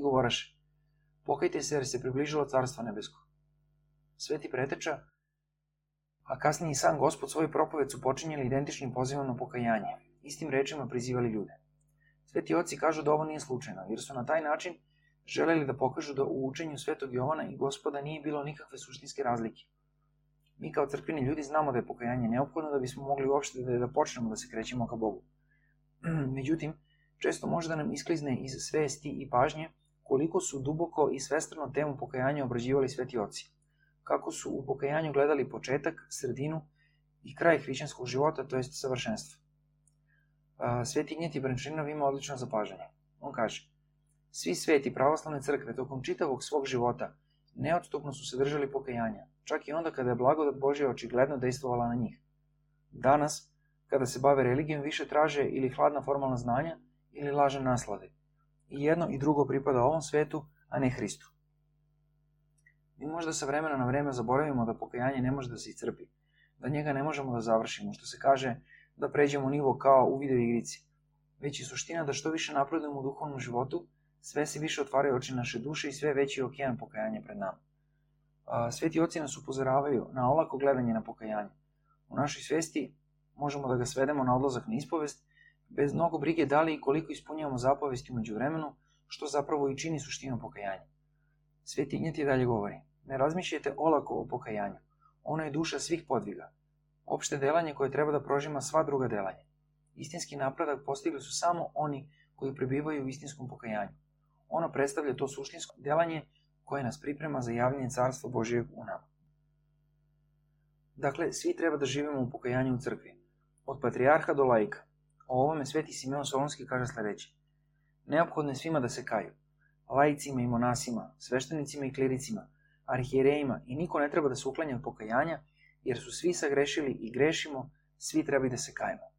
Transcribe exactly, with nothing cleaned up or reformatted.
govoraše: pokajte se jer se približilo carstvo nebesko. Sveti preteča, a kasnije i sam Gospod svoju propoved su počinjeli identičnim pozivom na pokajanje, istim rečima prizivali ljude. Sveti oci kažu da ovo nije slučajno, jer su na taj način želeli da pokažu da u učenju Svetog Jovana i Gospoda nije bilo nikakve suštinske razlike. Mi kao crkveni ljudi znamo da je pokajanje neophodno da bismo mogli uopšte da, da počnemo da se krećemo ka Bogu. Međutim, često može da nam isklizne iz svesti i pažnje koliko su duboko i svestrano temu pokajanja obrađivali sveti oci, kako su u pokajanju gledali početak, sredinu i kraj hrišćanskog života, to jest savršenstvo. Sveti Ignjatij Brančaninov ima odlično zapažanje. On kaže: svi sveti pravoslavne crkve tokom čitavog svog života neodstupno su se držali pokajanja, čak i onda kada je blagodat Božja očigledno dejstvovala na njih. Danas, kada se bave religijom, više traže ili hladna formalna znanja ili lažne naslade. I jedno i drugo pripada ovom svetu, a ne Hristu. Mi možda sa vremena na vreme zaboravimo da pokajanje ne može da se iscrpi, da njega ne možemo da završimo, što se kaže da pređemo u nivo kao u video igrici. Već je suština da što više napredujemo u duhovnom životu, sve se više otvaraju oči naše duše i sve veći je okean pokajanja pred nama. Sveti oci nas upozoravaju na olako gledanje na pokajanje. U našoj svesti možemo da ga svedemo na odlazak na ispovest, bez mnogo brige da li i koliko ispunjavamo zapovesti umeđu vremenu, što zapravo i čini suštinu pokajanja. Sveti Ignjatij dalje govori: ne razmišljajte olako o pokajanju. Ono je duša svih podviga. Opšte delanje koje treba da prožima sva druga delanja. Istinski napredak postigli su samo oni koji prebivaju u istinskom pokajanju. Ono predstavlja to suštinsko delanje koje nas priprema za javljanje carstva Božijeg u nama. Dakle, svi treba da živimo u pokajanju u crkvi, od patrijarha do laika. O ovome sveti Simeon Solunski kaže sledeće: neophodno je svima da se kaju, laicima i monasima, sveštenicima i klericima, arhijerejima, i niko ne treba da se uklanja od pokajanja, jer su svi sagrešili i grešimo, svi treba da se kajemo.